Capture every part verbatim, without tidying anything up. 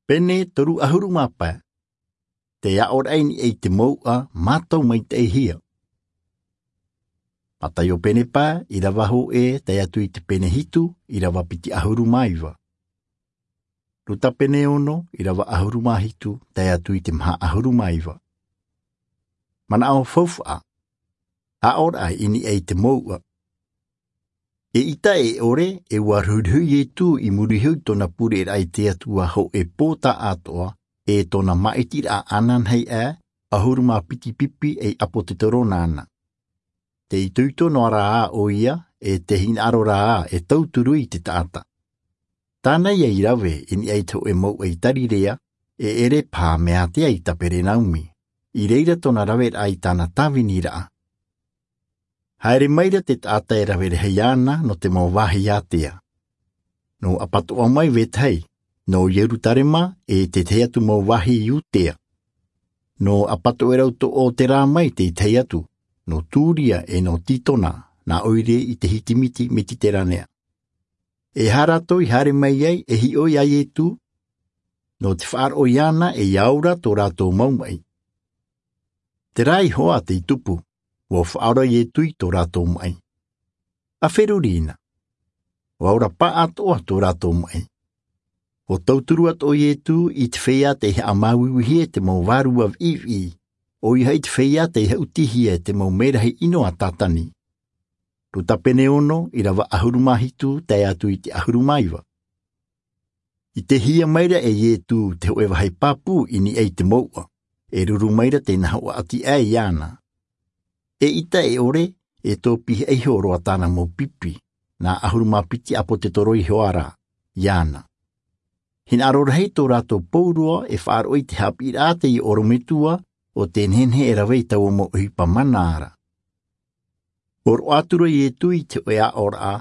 Pene toru ʻahuru mā pae. Te aʻoraʻa i niʻa i te mouʻa mātau maitaʻihia. Mataio pene pae, ʻīrava hōʻē tae atu i te pene hitu, ʻīrava piti ʻahuru mā iva. Luka pene ono, ʻīrava ʻahuru mā hitu tae atu i te maha ʻahuru mā iva. Manaʻo faufaʻa. Aʻoraʻa i niʻa i te mouʻa. Eʻita e ʻore, e ʻua ruhiruhi Ietu i muri iho i tōna pureraʻa i te Atua hōʻē pō taʻatoʻa, e tōna māʻitiraʻa ananahi aʻe, ʻahuru mā piti pipi ei ʻāpōtetoro nāna. Te itoito noa rā ʻoia, e te hinaʻaro rā e tauturu i te taʻata. Tāna ia i rave i niʻa i te hōʻē mouʻa i Tarirea, e ʻere paha mea ātea i Kaperenaumi, i reira tōna raveraʻa i tāna tāviniraʻa. Haere maira te taʻata e rave rahi iāna nō te mau vāhi ātea. Nō ʻApatoʻa mai Vetahi, nō Ierutarema e te tahi atu mau vāhi i Iudea. Nō ʻApatoʻerau tō ʻOterā mai te tahi atu, nō Turia e nō Titona, nā ʻoire i te hitimiti Mediteranea. E aha rātou i haere mai ai e hiʻo iā Ietu? Nō te faʻaroʻo iāna e ia ora tō rātou mau maʻi. Terā iho ā tei tupu, ʻua faʻaora Ietu i tō rātou maʻi. ʻA feruri na. ʻUa ora pāʻātoʻa tō rātou maʻi. ʻUa tauturu atoʻa Ietu i te feiā tei haʻamāuiuihia e te mau vārua viʻiviʻi, ʻoia hoʻi te feiā tei haʻutihia e te mau mērahi ʻino a Satani. Luka pene ono, ʻīrava ʻahuru mā hitu tae atu i te ʻahuru mā iva. I te hia maira e Ietu te hōʻē vāhi pāpū i niʻa i te mouʻa, e ruru maira te nā hoʻa ʻati aʻe iāna. Eʻita e ʻore, e tōpihaʻa iho roa tāna mau pipi, nā ʻahuru mā piti ʻāpōtetoro iho ā rā, iāna. Hinaʻaro rahi tō rātou pauroa e faʻaroʻo i te haʻapiʻiraʻa a te ʻorometua, ʻo te nehenehe e rave i taua mau ʻohipa mana ra. ʻUa roaʻa atu ra Ietu i te hōʻē aʻoraʻa,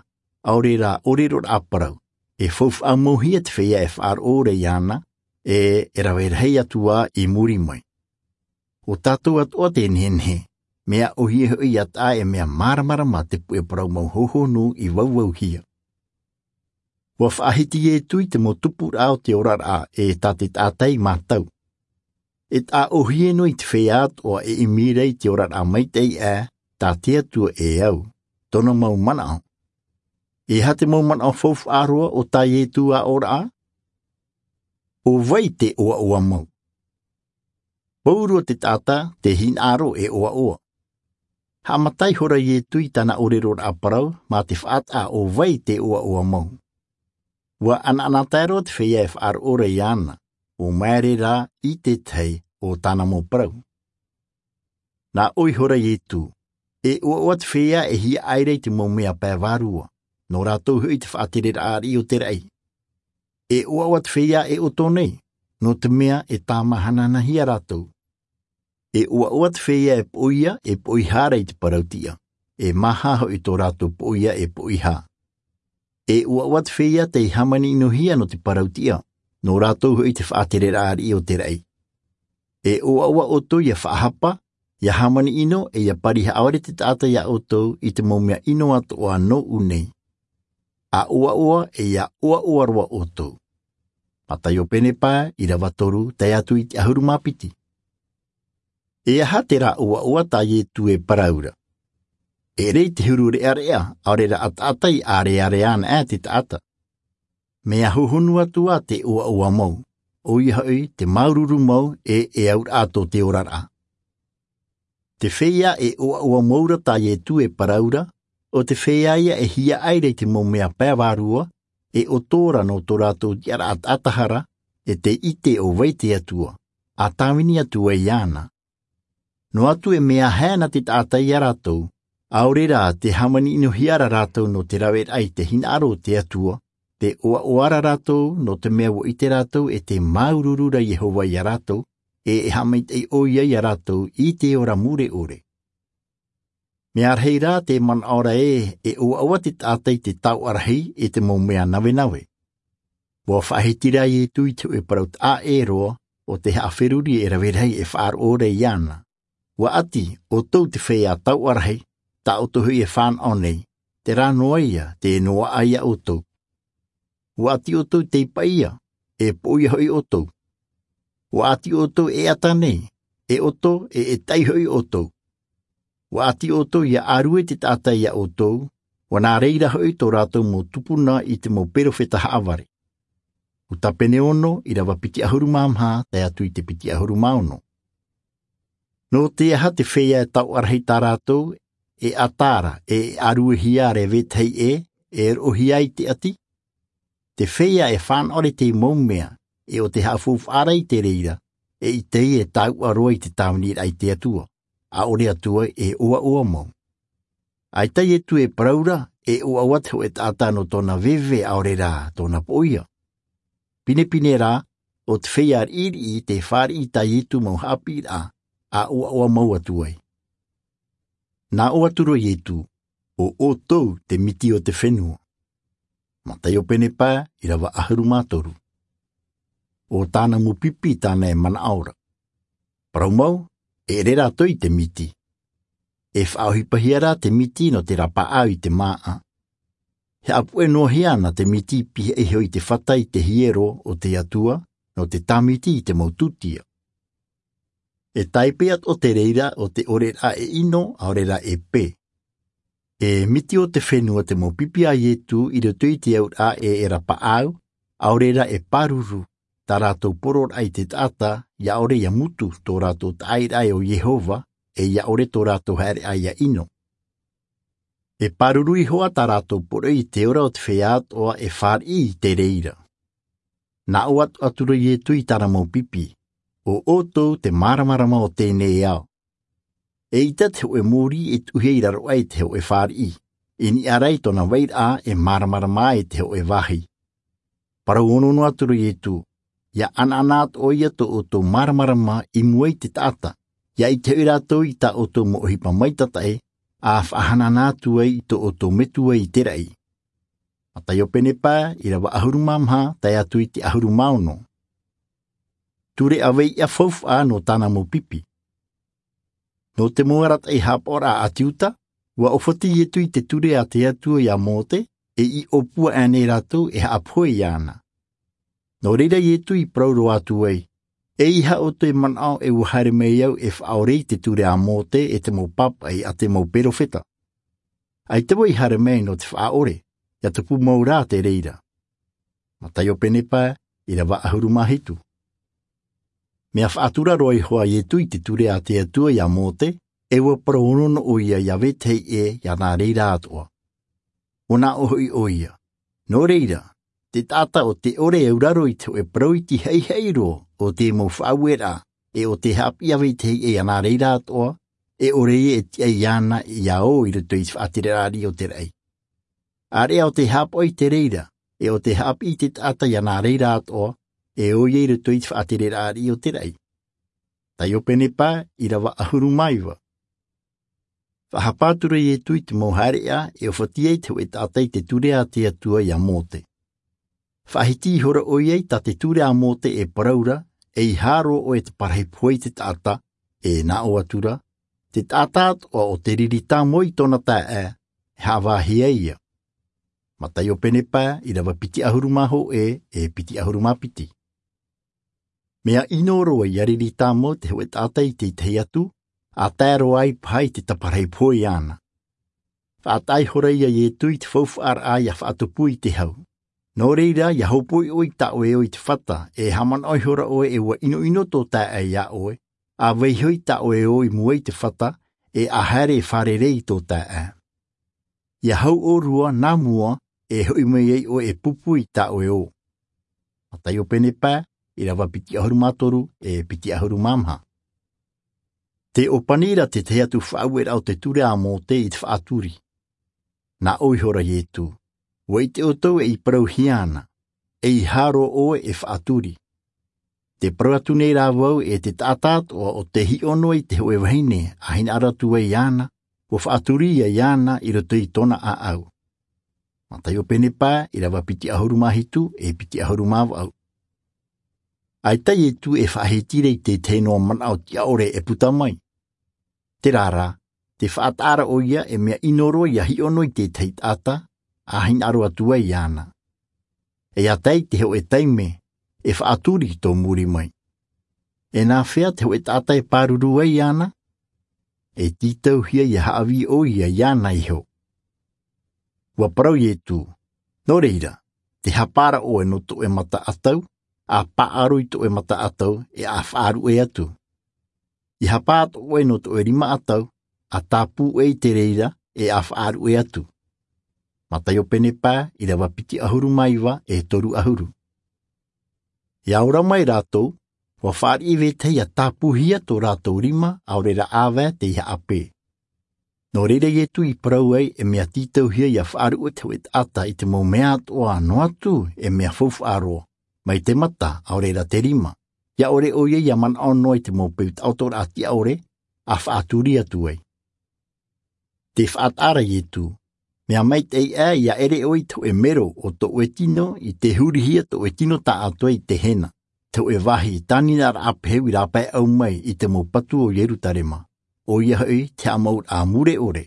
ʻaore rā ʻōreroraʻa parau, e faufaʻa mauhia te feiā e faʻaroʻo ra iāna, e, e rave rahi atu ā i muri mai. ʻO tātou atoʻa te nehenehe, mea ʻōhie hoʻi ia taʻa e mea māramarama te puʻe parau mau hohonu i vauvauhia. ʻUa faʻahiti Ietu i te mau tupuraʻa o te oraraʻa e tā te taʻata i mātau. E taʻa ʻōhie noa i te feiā atoʻa e ʻimi ra i te oraraʻa maitaʻi aʻe, tā te Atua e au, tōna mau manaʻo. E aha te mau manaʻo faufaʻa roa o tā Ietu aʻoraʻa? ʻO vai te ʻoaʻoa mau? Pauroa te taʻata te hinaʻaro e ʻoaʻoa. Haʻamata ihora Ietu i tāna ʻōreroraʻa parau, mā te faʻataʻa ʻo vai te ʻoaʻoa mau. ʻUa ʻanaʻanatae roa te feiā e faʻaroʻo ra iāna, ʻo maere rā i te tahi o tāna mau parau. Nā ʻō ihora Ietu, e ʻoaʻoa te feiā e hiaʻai ra i te mau mea pae vārua, nō rātou hoʻi te faʻatereraʻa ariʻi o te raʻi. E ʻoaʻoa te feiā e ʻoto nei, nō te mea e tāmāhanahana hia rātou. E ʻoaʻoa te feiā e poʻia, e poʻihā ra i te parau tiʻa, e māhā hoʻi tō rātou poʻia e poʻihā. E ʻoaʻoa te feiā tei hāmani ʻino hia nō te parau tiʻa, nō rātou hoʻi te faʻatereraʻa ariʻi o te raʻi. E ʻoaʻoa ʻoutou ia faʻahapa, ia hāmani ʻino, e ia pari haʻavare te taʻata iā ʻoutou i te mau mea ʻino atoʻa nōʻu nei. ʻA ʻoaʻoa, e ia ʻoaʻoa roa ʻoutou. Mataio pene pae, ʻīrava toru, tae atu i te ʻahuru mā piti. E aha terā ʻoaʻoa tā Ietu e parau ra? E ʻere i te huru reʻareʻa, ʻaore rā ʻataʻata i ʻārearea ana aʻe te taʻata. Mea hohonu atu ā te ʻoaʻoa mau, ʻoia hoʻi te māuruuru mau e, e auraʻa tō te oraraʻa. Te feiā e ʻoaʻoa mau ra tā Ietu e parau ra, ʻo te feiā ia e hiaʻai ra i te mau mea pae vārua, e ʻoto ra nō tō rātou tiʻaraʻa taʻata hara, e tei ʻite ʻo vai te Atua, ʻa tāvini atu ai iāna. Noa atu e mea haere ana te taʻata iā rātou, ʻaore rā te hāmani ʻinohia ra rātou nō te raveraʻa i te hinaʻaro o te Atua, te ʻoaʻoa ra rātou nō te mea ʻua ʻite rātou e tē māuruuru ra Iehova iā rātou, e e haʻamaitaʻi ʻoia iā rātou i te ora mure ʻore. Mea rahi rā te manaʻo ra ē, e ʻoaʻoa te taʻata i te taoʻa rahi i te mau mea navenave. ʻUa faʻahiti rā Ietu i te hōʻē parau taʻa ʻē roa, ʻo te haʻaferuri e rave rahi e faʻaroʻo ra iāna. ʻUa ʻati, ʻoutou te feiā taoʻa rahi, tā ʻoutou hoʻi e fānaʻo nei, terā noa ia, tē noaʻa iā ʻoutou. ʻUa ʻati ʻoutou tei paʻia, e poʻia hoʻi ʻoutou. Ua ʻati ʻoutou e ʻata nei, e ʻoto, e ʻetaʻi hoʻi ʻoutou. Ua ʻati ʻoutou ia ʻārue te taʻata iā ʻoutou, ua nā reira hoʻi tō rātou mau tupuna i te mau perofeta haʻavare. Luka pene ono, ʻīrava piti ʻahuru mā maha, tae atu i te piti ʻahuru mā ono. Nō te aha te feiā e taoʻa rahi tā rātou, e ʻata ra, e ʻāruehia ra e vetahi ʻē, e roʻohia i te ʻati? Te feiā e fānaʻo ra i te mau mea, e ʻo te haʻafaufaʻa ra i te reira, e ʻaita e taoʻa roa i te tāviniraʻa i te Atua, ʻaore atu ai e ʻoaʻoa mau. ʻAita Ietu e parau ra, e ʻoaʻoa te hōʻē taʻata nō tōna veve ʻaore rā tōna poʻia. Pinepine rā, ʻo te feiā riʻiriʻi tē fāriʻi i tā Ietu mau haʻapiʻiraʻa, ʻa ʻoaʻoa mau atu ai. Nā ʻō atu ra Ietu, ʻo ʻoutou te miti o te fenua. Mataio pene pae, ʻīrava ʻahuru mā toru. ʻO tāna mau pipi tāna e manaʻo ra. Parau mau, e ʻere rātou i te miti. E faʻaʻohipahia rā te miti nō te rapaʻau i te māʻa. E haʻapuʻe noa hia ana te miti pihaʻi iho i te fata i te hiero o te Atua, nō te tāmiti i te mau tūtia. E tāipe atoʻa te reira o te ʻoreraʻa e ʻino, ʻaore rā e pē. E miti o te fenua te mau pipi a Ietu i roto i te auraʻa e e rapaʻau, ʻaore rā e pāruru, tā rātou poroʻraʻa i te taʻata, ʻia ʻore ʻia mutu tō rātou taʻairaʻa ʻo Iehova, e ʻia ʻore tō rātou haereʻa ʻia ʻino. E pāruru iho ā tā rātou poroʻi i te ora o te feiā atoʻa e fāriʻi i te reira. Nā ʻō atu, atu ra Ietu i tāna mau pipi, ʻo ʻoutou te māramarama o teie ao. ʻEita te hōʻē mōrī e tuʻu hia i raro aʻe i te hōʻē fāriʻi, i niʻa ra i tōna vairaʻa e māramarama ai te hōʻē vāhi. Parau ono noa atu ra Ietu, ʻia ʻanaʻana atoʻa ia tō ʻoutou māramarama i mua i te taʻata, ʻia ʻite hoʻi rātou i tā ʻoutou mau ʻohipa maitataʻi, ʻa faʻahanahana atu ai i tō ʻoutou metua i te raʻi. Mataio pene pae, ʻīrava ʻahuru mā maha, tae atu i te ʻahuru mā ono. Ture ʻāvei ʻia faufaʻa nō tāna mau pipi. Nō te mau arataʻi haʻapaʻoraʻa a te Iuta, ʻua ʻōfati Ietu i te ture a te Atua iā Mōte, e i ʻōpua aʻe nei rātou e haʻapohe iāna. Nō reira Ietu i parau roa atu ai, ʻeiaha ʻoutou e manaʻo e ʻua haere mai au e faʻaʻore i te ture a Mōte e te mau pāpaʻi a te mau perofeta. ʻAita vau i haere mai nō te faʻaʻore, ʻia tupu mau rā te reira. Mataio pene pae, ʻīrava ʻahuru mā hitu. Mea faʻatura roa iho ā Ietu i te ture a te Atua iā Mōte, e ʻua parau ono noa ʻoia iā vetahi ʻē iāna reira atoʻa. ʻUa nā ʻō hoʻi ʻoia. Nō reira, te taʻata ʻo tē ʻore e auraro i te hōʻē parau iti haʻihaʻi roa o te mau faʻaueraʻa, e ʻo tē haʻapiʻi iā vetahi ʻē iāna reira atoʻa, e ʻore ïa e tiʻa iāna ʻia ō i roto i te faʻatereraʻa riʻi o te raʻi. ʻĀreʻa ʻo tē haʻapaʻo i te reira, e ʻo tē haʻapiʻi i te taʻata iāna reira atoʻa, e ō ïa i roto i te faʻatereraʻa riʻi o te raʻi. Mataio pene pae, ʻīrava ʻahuru mā iva. Faʻahapa atu ra Ietu i te mau haereʻa e ʻōfati ai te hōʻē taʻata i te ture a te Atua iā Mōte. Faʻahiti ihora ʻoia i tā te ture a Mōte e parau ra, ʻeiaha roa ʻoe te parahi pohe i te taʻata, e nā ʻō atu ra, te taʻata atoʻa ʻo tē riri tāmau i tōna taeaʻe, e haʻavāhi ai ïa. Mataio pene pae, ʻīrava piti ʻahuru mā hōʻē, e piti ʻahuru mā piti. Mea ʻino roa ʻia riri tāmau te hōʻē taʻata i te tahi atu, ʻa tae roa ai paha i te taparahi pohe iāna. Faʻataʻa ihora ïa Ietu i te faufaʻaraʻa ʻia faʻatupu i te hau. Nō reira, ʻia hōpoi ʻoe i tā ʻoe ō i te fata, e haʻamanaʻo ihora ʻoe e ʻua ʻinoʻino tō taeaʻe iā ʻoe, ʻa vaiiho i tā ʻoe ō i mua i te fata, e ʻa haere e fārerei i tō taeaʻe. ʻIa hau ʻōrua nā mua, e hoʻi mai ai ʻoe e pupu i tā ʻoe ō. Mataio pene pae, ʻīrava piti ʻahuru mā toru, e piti ʻahuru mā maha. Tē ʻōpani ra te tahi atu faʻaueraʻa o te ture a Mōte i te faʻaturi. Nā ʻō ihora Ietu, ʻua ʻite ʻoutou e i parauhia ana, ʻeiaha roa ʻoe e faʻaturi. Tē parau atu nei rā vau e te taʻata atoʻa ʻo tē hiʻo noa i te hōʻē vahine, ʻa hinaʻaro atu ai iāna, ʻua faʻaturi ïa iāna i roto i tōna ʻāʻau. Mataio pene pae, ʻīrava piti ʻahuru mā hitu, e piti ʻahuru mā vaʻu. ʻAita Ietu e faʻahiti ra i te tahi noa manaʻo tiʻaʻore e puta mai. Terā rā, tē faʻataʻa ra ʻoia e mea ʻino roa ʻia hiʻo noa i te tahi taʻata, ʻa hinaʻaro atu ai iāna. E ʻia tae i te hōʻē taime, e faʻaturi i tō muri mai. E nāfea te hoʻe taʻata e pāruru ai iāna? E tītauhia ia haʻavī ʻoia iāna iho. Ua parau iesu, nō reira, te hapa ra ʻoe nō tō ʻoe mata ʻatau, a paʻaro i tō ʻoe mata ʻatau, e a faʻaruʻe atu. I hapa atu ʻoe nō tō ʻoe rima ʻatau, a tāpū ʻoe i te reira, e a faʻaruʻe atu. Mataio pene pae, ʻirava piti ʻahuru mā iva e toru ʻahuru. Ia ora mai rātou, ua fāriʻi vetahi ia tāpūhia tō rātou rima, ʻaore rā ʻāvae tei haʻapē. Nō reira iesu i parau ai e mea tītauhia ia faʻaruʻe te hoʻe taʻata i te mau mea atoʻa noa atu e mea faufaʻa roa, mai te mata ʻaore rā te rima, ia ʻore ʻoia ia manaʻo noa i te mau peu taʻotoraʻa tiʻaʻore, a faʻaturi atu ai. Te faʻataʻa ra iesu, mea maitaʻi ʻā ia ʻere ʻoe i te hoʻe mero o tō ʻoe tino i te hurihia tō ʻoe tino taʻatoʻa i te hena, te hoʻe vāhi tānina raʻa peheu i rāpae ʻau mai i te mau patu o ierusalema, ʻoia hoʻi te haʻamauraʻa mure ʻore.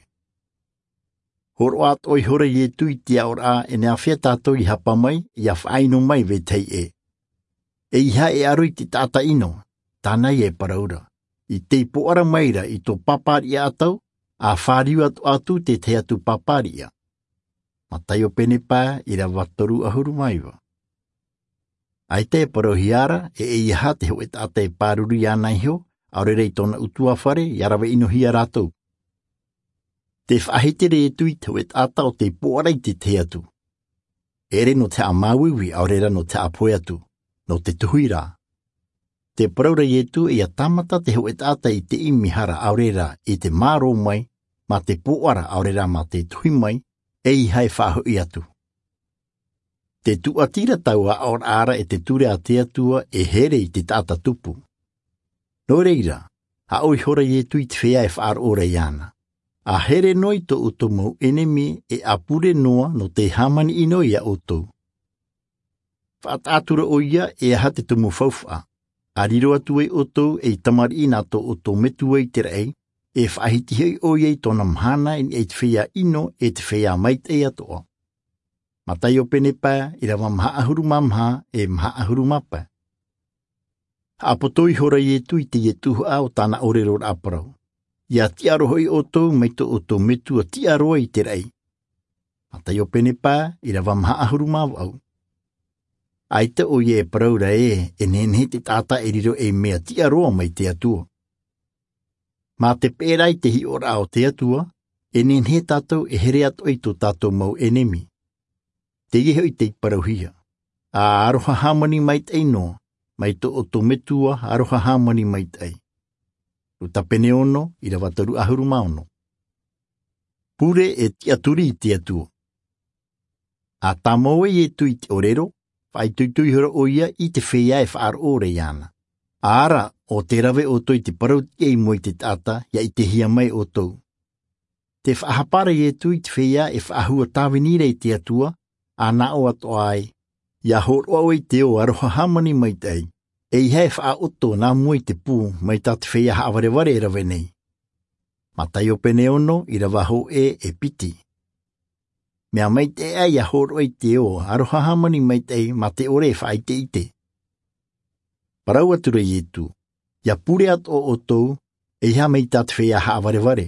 Hōroʻa atoʻa ihora iesu i te aʻoraʻa e nāfea tātou i hapa mai ia faʻaʻino mai vetahi ʻē. E ʻeiaha e aro i te taʻata ʻino, tāna ia e parau ra, i tei pōʻara mai ra i tō pāpāriʻa ʻatau, a fāriu atu atu tētahi atu pāpāriʻa. Mataio pene pae, ʻirava toru ʻahuru mā iva. ʻAita e parauhia ra e ʻeiaha te hoʻe taʻata e pāruru iāna iho, ʻaore rā i tōna ʻutuāfare ia rave ʻinohia rātou. Te faʻahiti ra iesu i te hoʻe taʻata o tei pōʻara i tētahi atu. E ʻere nō te haʻamāuiui ʻaore rā nō te haʻapohe atu, nō te tuhi rā. Te parau ra iesu ia tāmata te hoʻe taʻata i te ʻimi hara ʻaore rā i te mārō mai, mā te pōʻara ʻaore rā mā te tuhi mai, ʻeiaha e faʻahoʻi atu. Te tūʻati ra taua aʻoraʻa ra e te ture a te atua e here i te taʻata tupu. Nō reira, a ʻō ihora iesu i te feiā e faʻaroʻo ra iāna, a here noa i tō ʻoutou mau ʻenemi e a pure noa nō te hāmani ʻino iā ʻoutou. Faʻataʻa atu ra ʻoia e aha te tumu faufaʻa, a riro atu ai ʻoutou ei tamariʻi nā tō ʻoutou metua i te raʻi, e faʻahiti hoʻi ʻoia i tōna mahana i niʻa i te feiā ʻino e te feiā maitaʻi atoʻa. Mataio pene pae, ʻirava maha ʻahuru mā maha e maha ʻahuru mā pae. Haʻapoto ihora iesu i teie tuhaʻa o tāna ʻōrero raʻa parau, ia tiʻa roa hoʻi ʻoutou mai tō ʻoutou metua tiʻa roa i te raʻi. Mataio pene pae, ʻirava maha ʻahuru mā vaʻu. ʻAita ʻoia e parau ra ē e nehenehe te taʻata e riro ei mea tiʻa roa mai te atua. Mā te peʻe ra i te hiʻoraʻa o te atua, e nehenehe tātou e here atoʻa i tō tātou mau ʻenemi. Teie hoʻi tei parauhia, a aroha hāmani maitaʻi noa, mai tō ʻoutou metua aroha hāmani maitaʻi. Luka pene ono, ʻirava toru ʻahuru mā ono. Pure e tiʻaturi i te atua. A tāmau ai iesu i te ʻōrero, faʻaitoito ihora ʻoia i te feiā e faʻaroʻo ra iāna, a ara ʻo te rave ʻoutou i te parau tiʻa i mua i te taʻata ia ʻitehia mai ʻoutou. Te faʻahapa ra iesu i te feiā e faʻahua tāvini ra i te atua, a nā ʻō atoʻa ai, ia hōroʻa ʻoe i te ō aroha hāmani maitaʻi, ʻeiaha e faʻaʻoto nā mua i te pū mai tā te feiā haʻavarevare e rave nei. Mataio pene ono, ʻirava hōʻē e piti. Mea maitaʻi ʻā ia hōroʻa i te ō aroha hāmani maitaʻi mā te ʻore e faʻaʻiteʻite. Parau atu ra iesu, ia pure atoʻa ʻoutou, ʻeiaha mai tā te feiā haʻavarevare.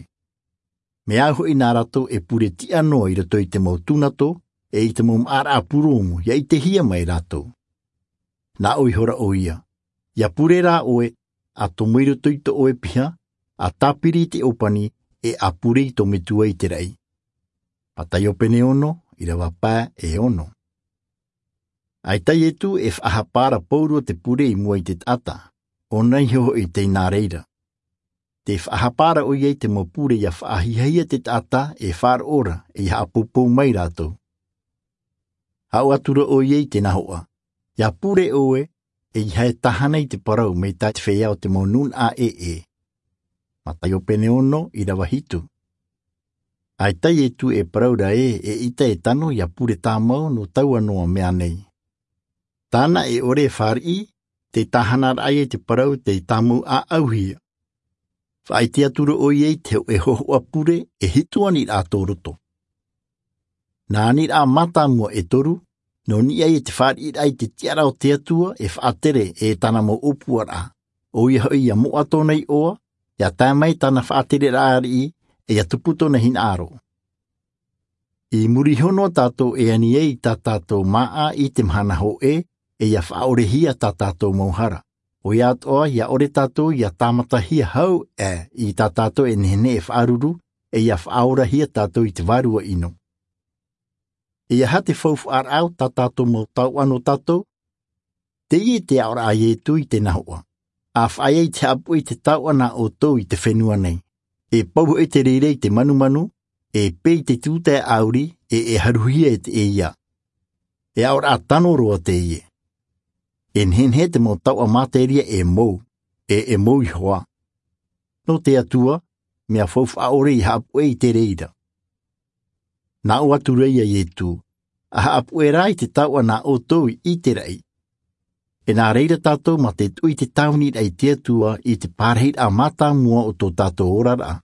Mea au hoʻi nā rātou e pure tiʻa noa i roto i te mau tūnato e i te mau maʻaraʻa purūmu ia ʻitehia mai rātou. Nā ʻō ihora ʻoia, ia pure rā ʻoe, a tomo i roto i tō ʻoe piha, a tāpiri i te ʻōpani, e a pure i tō metua i te raʻi. Mataio pene ono, ʻirava pae e ono. ʻAita iesu e faʻahapa ra pauroa te pure i mua i te taʻata, ʻōna iho hoʻi tei nā reira. Te faʻahapa ra ʻoia i te mau pure ia faʻahiahia te taʻata e faʻaroʻo ra e ia haʻapoupou mai rātou. Haʻu atu ra ʻoia i te nahoʻa, ia pure ʻoe, ʻeiaha e tāhana i te parau mai tā te feiā o te mau nūnaʻa ʻēʻē. Mataio pene ono, ʻirava hitu. ʻAita iesu e parau ra ē e ʻita e tano ia pure tāmau nō taua noa mea nei. Tāna e ʻore e fāriʻi, te tāhana raʻa ia i te parau tei tāmau ʻāʻauhia. Faʻaʻite atu ra ʻoia i te hoʻe hōhoʻa pure e hitu aniraʻa tō roto. Nā aniraʻa mātāmua e toru, Nō niʻa i te fāriʻiraʻa i te tiʻaraʻa o te Atua e faʻatere e tāna mau ʻōpuaraʻa, ʻoia hoʻi ia moʻa tōna iʻoa, ia tae mai tāna faʻatereraʻa ariʻi, e ia tupu tōna hinaʻaro. I muri iho noa tātou e ani ai i tā tātou māʻa i te mahana hōʻē, e ia faʻaʻorehia tā tātou mau hara. ʻOia atoʻa ia ʻore tātou ia tāmatahia hau ʻē i tā tātou e nehenehe e faʻaruru, e ia faʻaorahia tātou i te vārua ʻino. E aha te faufaʻaraʻa o tā tātou mau taoʻa nō tātou? Teie te aʻoraʻa a Ietu i te nahoʻa. ʻA faʻaea i te haʻapuʻe i te taoʻa nā ʻoutou i te fenua nei, e pau hoʻi te reira i te manumanu, e pē i te tūtae ʻāuri, e e haruhia e te ʻēia. E aʻoraʻa tano roa teie. E nehenehe te mau taoʻa materia e mou, e e mou iho ā. Nō te Atua, mea faufaʻa ʻore i haʻapuʻe i te reira. Nā ʻō atu ra ia Ietu, ʻa haʻapuʻe rā i te taoʻa nā ʻoutou i ʻite raʻi. E nā reira tātou mā te tuʻu i te tāviniraʻa i te Atua i te pārahiraʻa mātāmua o tō tātou oraraʻa.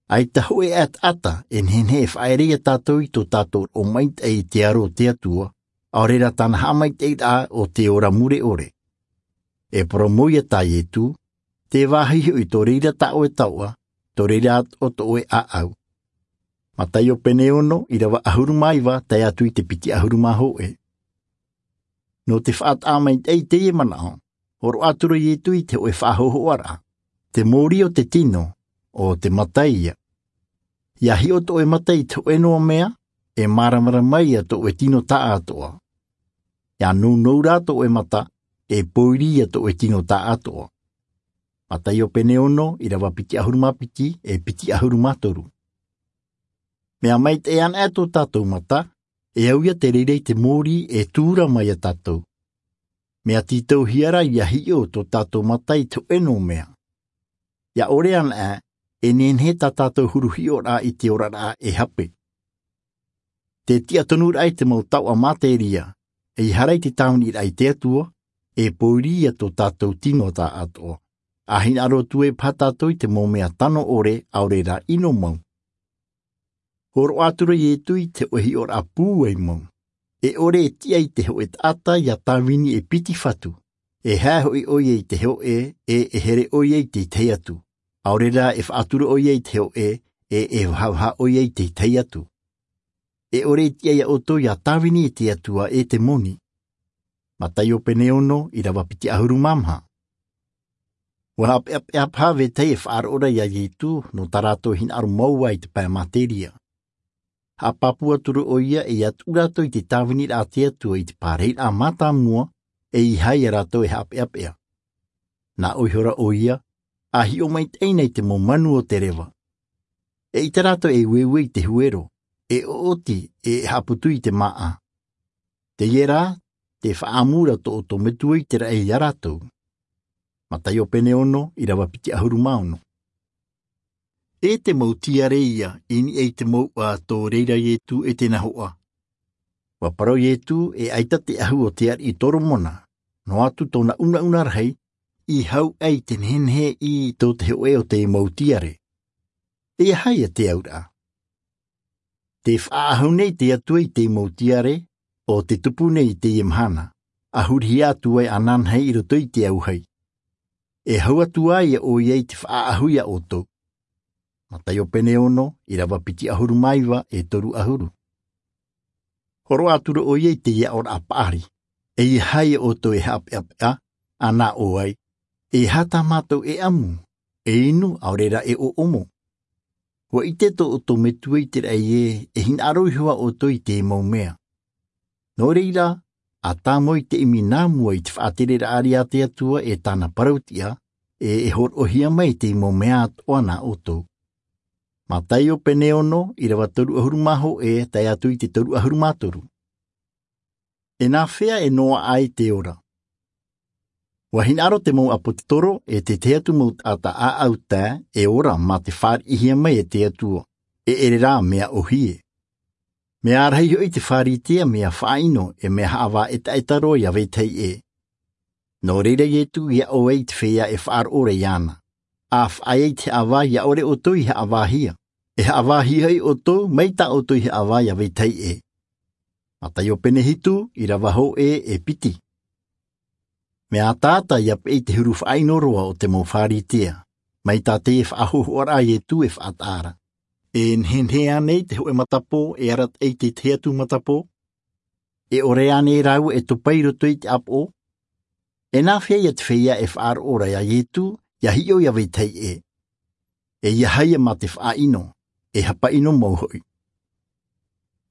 ʻAita hōʻē ʻataʻata e nehenehe e faʻaere ia tātou i tō tātou roʻo maitaʻi i te aro o te Atua, ʻaore rā tāna haʻamaitaʻiraʻa o te ora mure ʻore. E parau ia tā Ietu, te vāhi hoʻi tō reira tā ʻoe taoʻa, tō reira atoʻa tō ʻoe ʻāʻau. Mataio pene ono, ʻīrava ʻahuru mā iva, tae atu i te piti ʻahuru mā hōʻē. Nō te faʻataʻa maitaʻi i teie manaʻo, hōroʻa atu ra Ietu i te hōʻē faʻahōhoʻaraʻa, te mōrī o te tino, ʻo te mata ia. ʻIa hiʻo tō ʻoe mata i te hōʻē noa mea, e māramarama ia tō ʻoe tino taʻatoʻa. ʻIa nounou rā tō ʻoe mata, e pōiri ia tō ʻoe tino taʻatoʻa. Mataio pene ono, ʻīrava piti ʻahuru mā piti, e piti ʻahuru mā toru. Mea maitaʻi anaʻe tō tātou mata, e au ia te reira i te mōrī e tūrama ia tātou. Mea tītauhia rā ʻia hiʻo tō tātou mata i te hōʻē noa mea. ʻIa ʻore anaʻe, e nehenehe tā tātou huru hiʻoraʻa i te oraraʻa e hape. Te tiʻa tonuraʻa i te mau taoʻa materia, ʻeiaha rā i te tāviniraʻa i te Atua, e pōiri ia tō tātou tino taʻatoʻa. ʻA hinaʻaro atu ai paha tātou i te mau mea tano ʻore, ʻaore rā ʻino mau. Hōroʻa atu ra Ietu i te hōʻē hiʻoraʻa pūai mau. E ʻore e tiʻa i te hōʻē taʻata ʻia tāvini e piti fatu. E hae hoʻi ʻoia i te hōʻē, e e here ʻoia i te tahi atu. ʻAore rā e faʻatura ʻoia i te hōʻē, e e vahavaha ʻoia i te tahi atu. E ʻore e tiʻa ia ʻoutou ʻia tāvini i te Atua e te moni. Mataio pene ono, ʻīrava piti ʻahuru mā maha. ʻUa haʻapeʻapeʻa paha vetahi e faʻaroʻo ra ia Ietu, nō tā rātou hinaʻaro mau ā i te pae materia. Haʻapāpū atu ra ʻoia e ʻia tuʻu rātou i te tāviniraʻa a te Atua i te pārahiraʻa mātāmua, ʻeiaha ia rātou e haʻapeʻapeʻa. Nā ʻō ihora ʻoia, ʻa hiʻo maitaʻi na i te mau manu o te reva. E ʻite rātou e ueue i te huero, e ʻoʻoti, e haʻaputu i te māʻa. Teie rā, te faʻaʻamu ra tō ʻoutou Metua i te raʻi ia rātou. Mataio pene ono, ʻīrava piti ʻahuru mā ono. E te mau tiare ia, i niʻa i te mouʻa tō reira Ietu e te nahoʻa. ʻUa parau Ietu, e ʻaita te ʻahu o te ariʻi Toromona, noa atu tōna unauna rahi, i hau ai te nehenehe i tō te hōʻē o te mau tiare. ʻEiaha ia te auraʻa. Te faʻaʻahu nei te Atua i te mau tiare, ʻo te tupu nei i teie mahana, ʻa hurihia atu ai ananahi i roto i te auahi. E hau atu ai ʻoia i te faʻaʻahu ia ʻoutou. Mataio pene ono, ʻīrava piti ʻahuru mā iva e toru ʻahuru. Hōroʻa atu ra ʻoia i teie aʻoraʻa paʻari. ʻEiaha ia ʻoutou e haʻapeʻapeʻa, ʻa nā ʻō ai, ʻeiaha tā mātou e ʻamu, e inu, ʻaore rā e ʻoʻomo. ʻUa ʻite tō ʻoutou Metua i te raʻi ē, e hinaʻaro iho ā ʻoutou i te mau mea. Nō reira, ʻa tāmau i te ʻimi nā mua i te faʻatereraʻa ariʻi a te Atua e tāna parau-tiʻa, e e hōroʻahia mai i te mau mea atoʻa nā ʻoutou. Mataio pene ono, ʻīrava toru ʻahuru mā hōʻē, tae atu i te toru ʻahuru mā toru. E nāfea e noaʻa ai te ora? ʻUa hinaʻaro te mau ʻāpōsetolo e te tahi atu mau taʻata ʻāʻau tae e ora mā te fāriʻihia mai e te Atua, e ʻere rā mea ʻōhie. Mea rahi hoʻi te Pharisea mea faʻaʻino e mea haʻavā ʻetaʻeta roa ia vetahi ʻē. Nō reira Ietu i aʻo ai i te feiā e faʻaroʻo ra iāna. ʻA faʻaea i te haʻavā ia ʻore ʻoutou i haʻavāhia. E haʻavāhia hoʻi ʻoutou, mai tā ʻoutou i haʻavā ia vetahi ʻē. Mataio pene hitu, irava hōʻē e piti. Mea ataata ia peʻe i te huru faʻaʻino roa o te mau pharisea, mai tā teie faʻahohoʻaraʻa a iesu e faʻataʻa ra. E nehenehe ānei te hōʻē matapō e arataʻi i te tahi atu matapō? E ʻore ānei rāua e topa i roto i te ʻāpoʻo? E nā hea ia te feiā e faʻaroʻo ra iā iesu, ia hiʻo ia vetahi ʻē? E ia haia mā te faʻaʻino, e hapaʻino mau hoʻi.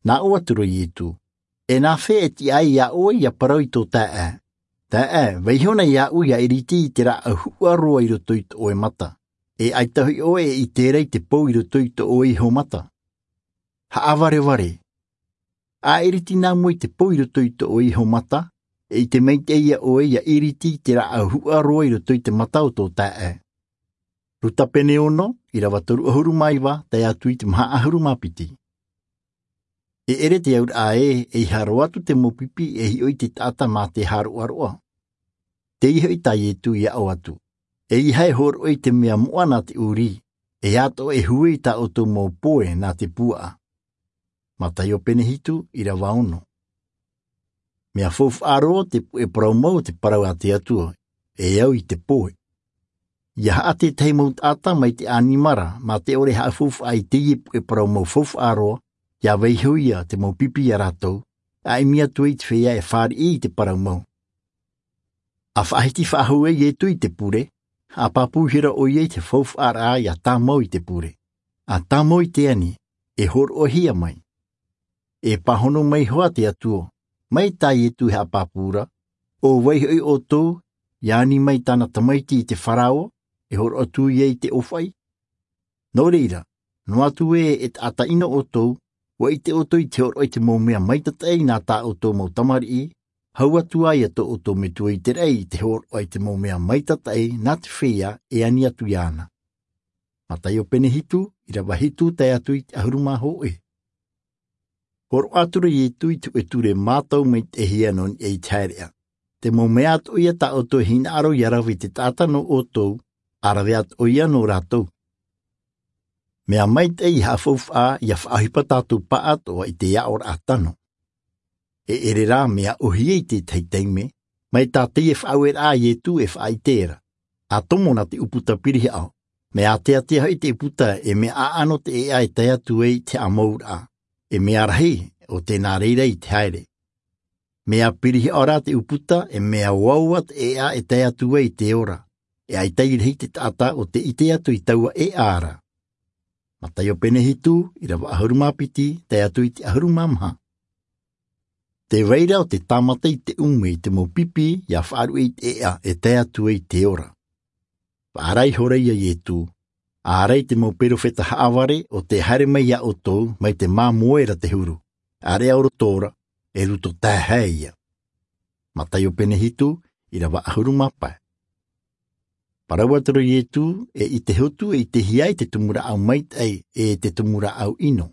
Nā ʻō atu ra iesu, e nā hea e tiʻa ai iā ʻoe ia parau i tō taeaʻe, taeaʻe, vaiiho na iāʻu ia iriti i te rāʻau huʻa roa i roto i tō ʻoe mata? E ʻaita hoʻi ʻoe e ʻite ra i te pou i roto i tō ʻoe iho mata? Haʻavarevare, a iriti nā mua i te pou i roto i tō ʻoe iho mata, e ʻite maitaʻi ia ʻoe ia iriti i te rāʻau huʻa roa i roto i te mata o tō taeaʻe. Luka pene ono, irava toru ʻahuru mā iva tae atu i te maha ʻahuru mā piti. E ʻere te auraʻa ē, eiaha roa atu te mau pipi e hiʻo i te taʻata mā te hāroʻaroʻa. Teie hoʻi tā iesu ia ʻō atu, eiaha e hōroʻa i te mea moʻa nā te ʻūrī, e atoʻa e huʻe i tā ʻoutou mau poe nā te puaʻa. Mataio pene hitu, irava ono. Mea faufaʻa roa te puʻe parau mau o te parau a te atua, e au i te poe. Ia haʻa tētahi mau taʻata mai te ʻanimara mā te ʻore e haʻafaufaʻa i teie puʻe parau mau faufaʻa roa, ia vaiiho ia te mau pipi iā rātou, a ʻimi atu ai i te feiā e fāriʻi i te parau mau. A faʻahiti faʻahou ai iesu i te pure, haʻapāpūhia ra ʻoia i te faufaʻaraʻa ia tāmau i te pure. A tāmau i te ani, e hōroʻahia mai. E pāhono mai hoʻi te atua, mai tā iesu e haʻapāpū ra, ʻo vai hoʻi ʻoutou ia ani mai tāna tamaiti i te farao, e hōroʻa atu ia i te ʻōfaʻi? Nō reira, noa atu ē e taʻata ʻino ʻoutou, ua ʻite ʻoutou i te hōroʻa i te mau mea maitataʻi nā tā ʻoutou mau tamariʻi, hau atu ā ia tō ʻoutou metua i te raʻi i te hōroʻa i te mau mea maitataʻi nā te feiā e ani atu iāna. Mataio pene hitu, irava hitu tae atu i te ʻahuru mā hōʻē. Hōroʻa atu ra iesu i te hōʻē ture mātau maitaʻihia nō niʻa i te haereʻa, te mau mea atoʻa ia tā ʻoutou e hinaʻaro ia rave i te taʻata nō ʻoutou, a rave atoʻa ia nō rātou. Mea maitaʻi ia haʻafaufaʻa ia faʻaʻohipa tātou pāʻatoʻa i te aʻoraʻa tano. E ʻere rā mea ʻōhie i tētahi taime, mai tā teie faʻaueraʻa a iesu e faʻaʻite ra, a tomo nā te ʻūputa pirihaʻo, mea āteatea hoʻi te ʻūputa e mea ʻaʻano te ʻēʻa e tae atu ai i te haʻamouraʻa, e mea rahi ʻo tē nā reira i te haere. Mea pirihaʻo rā te ʻūputa e mea oaoa te ʻēʻa e tae atu ai i te ora, e ʻaita i rahi te taʻata ʻo tē ʻite atu i taua ʻēʻa ra. Mataio pene hitu, irava ʻahuru mā piti tae atu i te ʻahuru mā maha. Tē vai ra ʻo te tāmata i te ʻume i te mau pipi ia faʻaruʻe i te ʻēʻa e tae atu ai i te ora. Faʻaara ihora iā iesu, ʻaore i te mau perofeta haʻavare ʻo tē haere mai iā ʻoutou mai te māmoe ra te huru, ʻaore ʻo roto ra, e roto taehae ia. Mataio pene hitu, irava ʻahuru mā pae. Parau atu ra iesu, e ʻite hotu e ʻitehia ai te tumu rāʻau maitaʻi e te tumu rāʻau ʻino.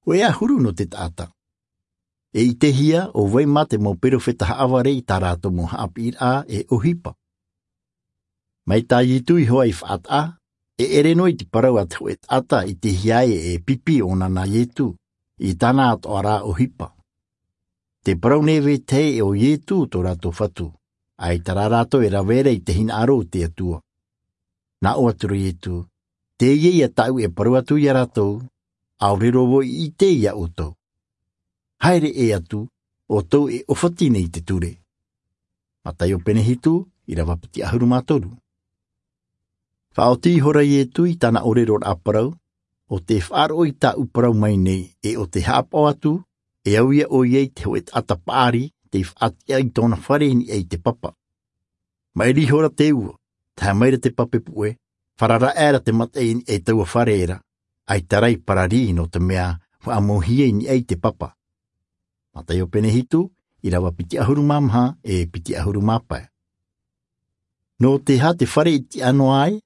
Hōʻē ā huru nō te taʻata. E ʻitehia ʻo vai mā te mau perofeta haʻavare i tā rātou mau haʻapiʻiraʻa e ʻohipa. Mai tā iesu iho ā i faʻataʻa, e ʻere noa i te parau a te hōʻē taʻata i ʻitehia ai e pipi ʻōna nā iesu, i tāna atoʻa rā ʻohipa. Te parau nei vetahi ē ʻo iesu tō rātou fatu, ʻaita rā rātou e rave ra i te hinaʻaro o te atua. Nā ʻō atu ra iesu, teie ia tāʻu e parau atu iā rātou, ʻaore roa vau i ʻite iā ʻoutou. Haere ʻē atu, ʻoutou e ʻōfati nei i te ture. Mataio pene hitu, irava piti ʻahuru mā toru. Faʻaoti ihora iesu i tāna ʻōreroraʻa parau, ʻo tē faʻaroʻo i tāʻu parau mai nei e ʻo tē haʻapaʻo atu, e au ia ʻoia i te hōʻē taʻata paʻari tei faʻatiʻa i tōna fare i niʻa i te papa. Maʻiri ihora te ua, tahe mai ra te pape puʻe, fararaʻa ra te mataʻi i niʻa i taua fare ra, ʻaita rā i pararī nō te mea faʻamauhia i niʻa i te papa. Mataio pene hitu, irava piti ʻahuru mā maha e piti ʻahuru mā pae. Nō te aha te fare i tiʻa noa ai?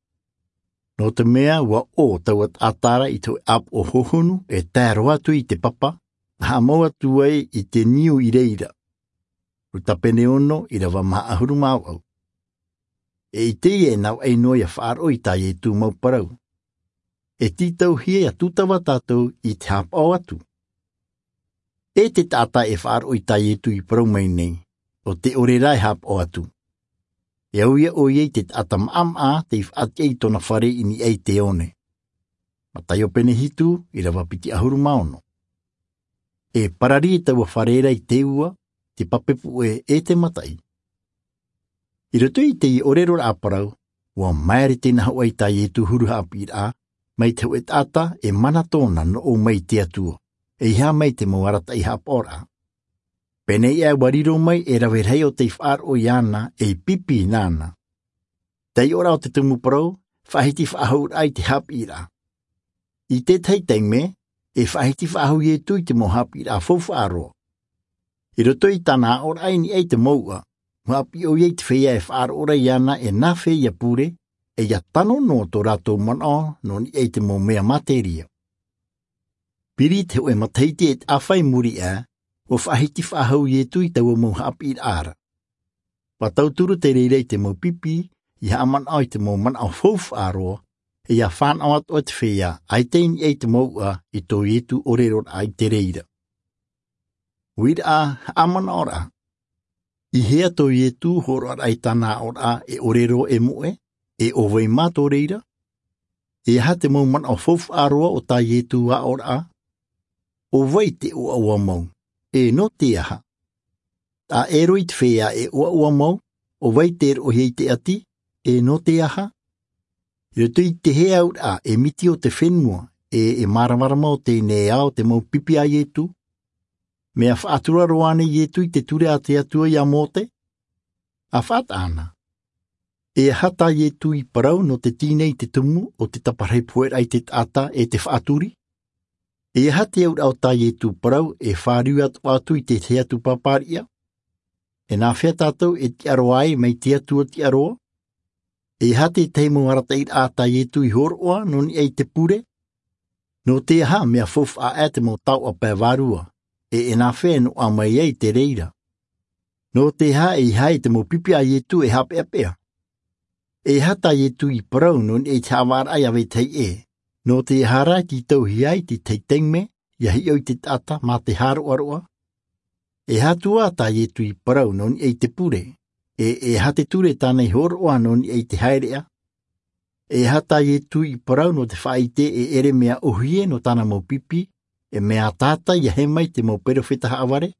Nō te mea ua ʻō taua taʻata ra i te hōʻē ʻāpoʻo hohonu e tae roa atu i te papa, haʻamau atu ai i te niu i reira. Luka pene ono, irava maha ʻahuru mā vaʻu. E ʻite ia e navaʻi noa ia faʻaroʻo i tā iesu mau parau. E tītauhia ia tūtava tātou i te haʻapaʻo atu. E te taʻata e faʻaroʻo i tā iesu i parau mai nei, ʻo te ʻore rā e hāpaʻo atu. E au ia ʻoia i te taʻata maʻamaʻa tei faʻatiʻa i tōna fare i niʻa i te one. Mataio pene hitu, ʻirava piti ʻahuru mā ono. E parari e taua fare ra i te ua, te pape puʻe e te mataʻi. I roto i te ʻōrero raʻa parau, ua maere te nahoʻa i tā iesu huru haʻapiʻiraʻa mai te hoʻe taʻata e mana tōna noʻu mai i te atua, e iha mai te mau arataʻi haʻapaʻoraʻa. Pēnei ʻā ua riro mai e rave rahi o tei faʻaroʻo iāna ei pipi nāna. Tei ʻōraʻa o te tumu parau, faʻahiti faʻahou raʻa i te haʻapiʻiraʻa. I tētahi taime, e faʻahiti faʻahou iesu i te mau haʻapiʻiraʻa faufaʻa roa. I roto i tāna aʻoraʻa i niʻa i te mouʻa, ua haʻapiʻi ʻoia i te feiā e faʻaroʻo ra iāna e nāfea ia pure, e ia tano noa tō rātou manaʻo nō niʻa i te mau mea materia. Piri te hoʻe matahiti e taʻafa i muri aʻe, ua faʻahiti faʻahou iesu i taua mau haʻapiʻiraʻa ra. Ua tauturu te reira i te mau pipi, ia haʻamanaʻo i te mau manaʻo faufaʻa roa, e ia fānaʻo atu ʻoe te feiā ʻaita i niʻa i te mouʻa i tō iesu ʻōreroraʻa i te reira. Uiraʻa, haʻamanaʻoraʻa. I hea tō iesu hōroʻaraʻa i tāna aʻoraʻa e ʻōrero e moʻe, e ʻo vai mā tō reira? E aha te mau manaʻo faufaʻa roa o tā iesu aʻoraʻa? ʻO vai te ʻoaʻoa mau, e nō te aha? Taʻero i te feiā e ʻoaʻoa mau, ʻo vai te roʻohia i te ʻati, e nō te aha? I roto i te hea auraʻa e miti o te fenua, e e māramarama o teie nei ao te mau pipi a iesu? Mea faʻatura roa nei iesu i te ture a te atua ia mose? A faʻataʻa na, e aha tā iesu i parau nō te tīnei i te tumu o te taparahi pohe raʻa i te taʻata e te faʻaturi? E aha te auraʻa o tā iesu parau e fāriu atu atu i te hea tūpāpāriʻa? E nāfea tātou e tiʻaroa ai mai te atua tiʻaroa? E aha te tahi mau arataʻiraʻa tā iesu i hōroʻa nō niʻa i te pure? Nō te aha mea faufaʻa aʻe te mau taoʻa pae vārua, e e nāfea e noaʻa mai ai te reira? Nō te aha e iha ai te mau pipi a iesu e hapeapea? E aha tā iesu i parau nō niʻa i te haʻavāraʻa ia vetahi ʻē? Nō te aha rā i titauhia ai te tahi taime ia hiʻo i te taʻata mā te hāroʻaroʻa? E aha atu ā tā iesu i parau nō niʻa i te pure, e e aha te ture tāna i hōroʻa nō niʻa i te haereʻa? E aha tā iesu i parau nō te faʻaite e ʻere mea ʻohie nō tāna mau pipi, e mea ataata ia hē mai te mau perofeta haʻavare?